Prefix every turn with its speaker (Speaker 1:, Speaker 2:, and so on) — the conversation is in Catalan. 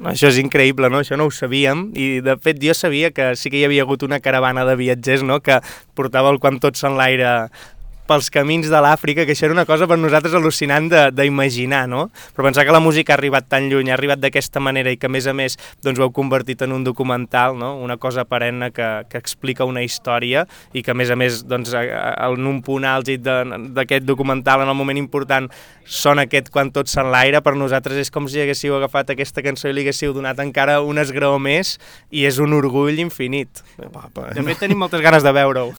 Speaker 1: Això és increïble, no? Això no ho sabíem i de fet jo sabia que sí que hi havia hagut una caravana de viatgers, no?, que portava el Quan tots s'enlaire pels camins de l'Àfrica, que això era una cosa per nosaltres al·lucinant d'imaginar, no? Però pensar que la música ha arribat tan lluny, ha arribat d'aquesta manera i que a més doncs ho heu convertit en un documental, no? Una cosa perenne que explica una història i que a més doncs, en un punt àlgid d'aquest documental, en el moment important, sona aquest Quan tots s'enlaire, per nosaltres és com si haguéssiu agafat aquesta cançó i li haguéssiu donat encara un esgraó més i és un orgull infinit. De fet, tenim moltes ganes de veure-ho.